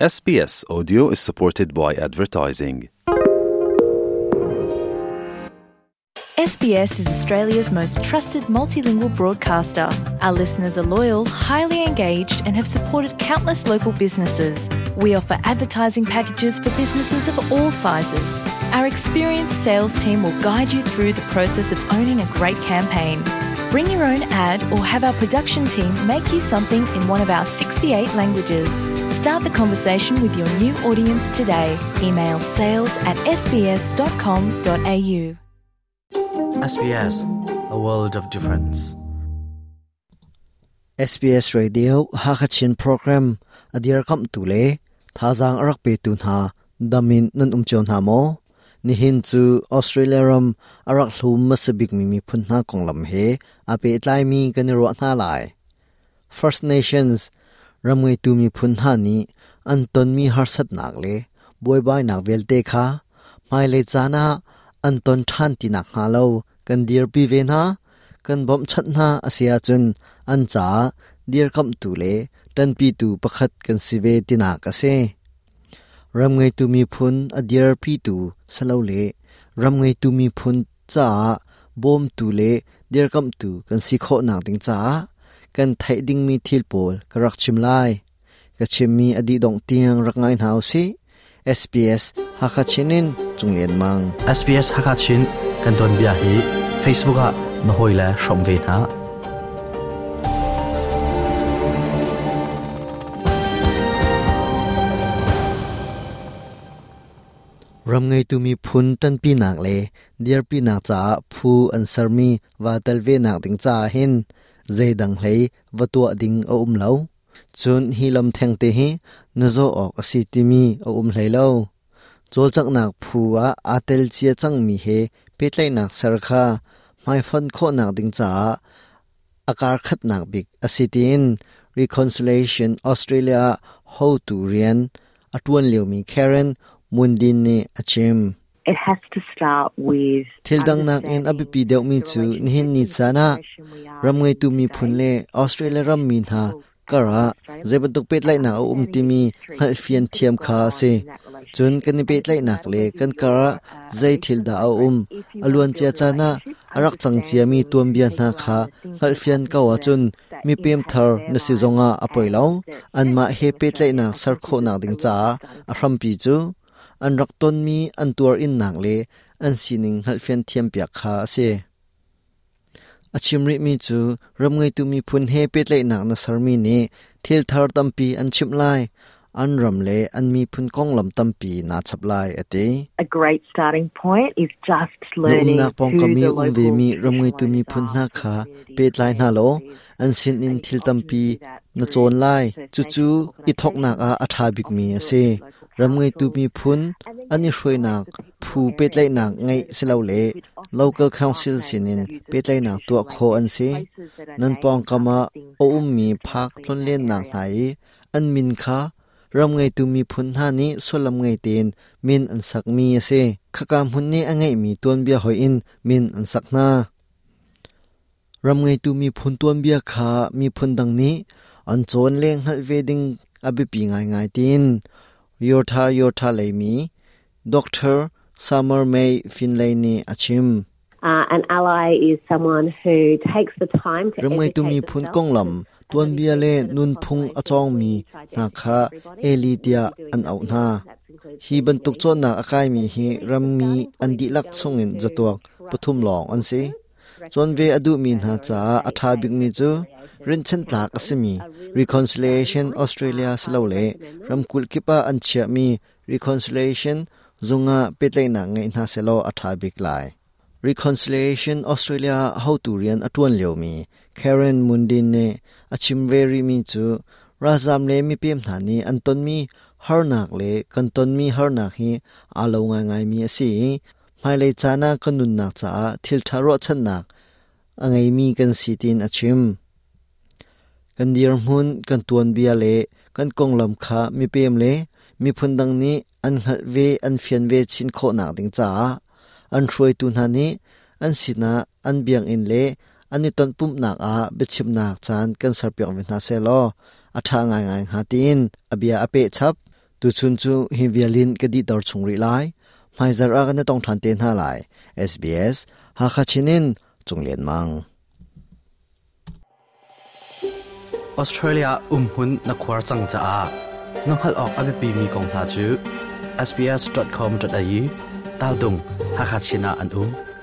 SBS Audio is supported by advertising. SBS is Australia's most trusted multilingual broadcaster. Our listeners are loyal, highly engaged, and have supported countless local businesses. We offer advertising packages for businesses of all sizes. Our experienced sales team will guide you through the process of owning a great campaign. Bring your own ad or have our production team make you something in one of our 68 languages. Start the conversation with your new audience today. Email sales at sbs.com.au. SBS, a world of difference. SBS Radio Hakachin program adir kam tu le thazang arak pe tu hna damin nan um chon hna maw Nihin cu Australia ram a rak hlum hmasa bikmi miphun hna konglam he aa pehtlaimi kan i ruah hna lai. First Nations ram ngeitu miphun hna nih an tonmi harsatnak le buaibainak vialte kha hmailei caan ah an ton ṭhan ti nakhnga lo kan dirpi ve hna, kan bawmhchanh hna a si ahcun an caah dirkamhtu le ṭanpitu pakhat kan si ve tinak a si. Ram ngeitu miphun a dirpitu silole ram ngeitu miphun caah bawmtu le dirkamhtu kan si khawhnak ding caah kan theih dingmi thil pawl ka rak chim lai. Ka chimmi a dih dongh tiang rak ngai hna usih. SBS Hakha Chin in Cunglian Mang. SBS Hakha Chin kan tuanbia hi Facebook ah na hawile hrawm ve hna. Ram ngeitu miphun ṭanpinak le dirpinak caah phu an sermi vaa tel venak ding caah hin zeidang hlei va tuah ding a um lo. Cun hi lam thengte hi na zawh awk a si timi a um hlei lo. Cawlcanghnak phu ah aa tel cia cangmi he pehtlaihnak ser kha hmaifon khawhnak ding caah a karkhatnak bik a si tiin Reconciliation Australia ah hotu rian a ṭuan liomi Karen Mundine nih a chim. It has to start with Thil dang nakin a biapi deuhmi cu nihin ni caan ah ram ngeitu miphun le Australia rammi hna kar ah zeibantuk pehtlaihnak a um timi hngalhfian thiam kha a si. Cun kan i pehtlaihnak le kan kar ah zei thil dah a um, a luancia caan ah a rak cang ciami tuanbia hna kha hngalhfian ko ahcun mipem thar na si zongah a poi lo. Anmah he pehtlaihnak ser khawhnak ding caah a hrampi cu an rak tonmi an tuar innak le an sining hngalhfian thiampiak kha a si. A chim rihmi cu ram ngeitu miphun he pehtlaihnak na sermi nih thil thar tampi an chimh lai, an ram le an miphun konglam tampi naa chap lai, a ti. A great starting point is just Na learning umnak who pawngkam the i um local vemi ram traditional ngeitu owners miphun are, hna the kha community pehtlai hna law communities, an sinin and thil you often tampi do that na through cawn lai. First Cucu Nations i thawknak ah a ṭha organisations, bikmi often a do it si. through local Ram ngeitu councils. miphun And then an i you hruainak select the people phu your area pehtlaihnak into ngeih those silole places which often local have council park names sinin that use the pehtlaihnak traditional tuah khawh an language, si. places that are Nan named pawngkam after ah things a that ummi happened phak historically in that tlonlennak area. hna i an min kha ram ngeitu miphun hna nih sullam ngei tein min an sakmi a si. Khaka hmun nih a ngeihmi tuanbia hoih in min an sak hna. Ram ngeitu miphun tuanbia kha miphun dang nih an cawn le hngalh ve ding a biapi ngaingai tiin Yortha Yortha leimi Dr. Summer May Finlay nih a chim. An ally is someone who takes the time to Ram ngeitu educate miphun themselves konglam because tuanbia le 73% of the nunphung a population cawngmi we try to hna educate kha everybody. Eli We tiah be doing an auh nothing hna. wrong. That includes Hi bantuk me. cawnnak a kaimi So hi really the rammi starting an point is dihlak going chungin to zatuak pathum trusted lawng an si. sources, Cawn ve a duhmi recommended hna by caah your a own ṭha state bikmi based cu reconciliation rinhchanhtlak a councils simi are really good starting Reconciliation point. Australia I silole highly recommend them. ramkulh kip ah an chiahmi Reconciliation zung ah pehtlaihnak ngeih hna sehlaw a ṭha bik lai. Reconciliation Australia ah hotu rian a ṭuan liomi Karen Mundine nih a chim ve rihmi cu ralzaam le mipem hna nih an tonmi harnak le kan tonmi harnak hi aa lo ngaingaimi a si i hmailei caan ah kan nunnak caah thilṭha ruahchannak a ngeimi kan si tiin a chim. Kan dirhmun, kan tuanbia le kan konglam kha mipem le miphun dang nih an hngalh ve, an fian ve chin khawhnak ding caah an hruaitu hna nih an sinah an biakinn le an i tonpumhnak ah biachimnak caan kan serpiak ve hna sehlaw a ṭha ngaingai hnga tiin a bia a peh chap. Tuchun cu hi vialin ka dih tor chung rih lai. Hmaizarh ah kan i tong ṭhan te hna lai. SBS Hakha Chin in Cung Lian Mang. Australia umhmun na khuar cang caah na hngalh awk a biapimi kong hna cu sbs.com.au taldung Hakha Chin ah an um.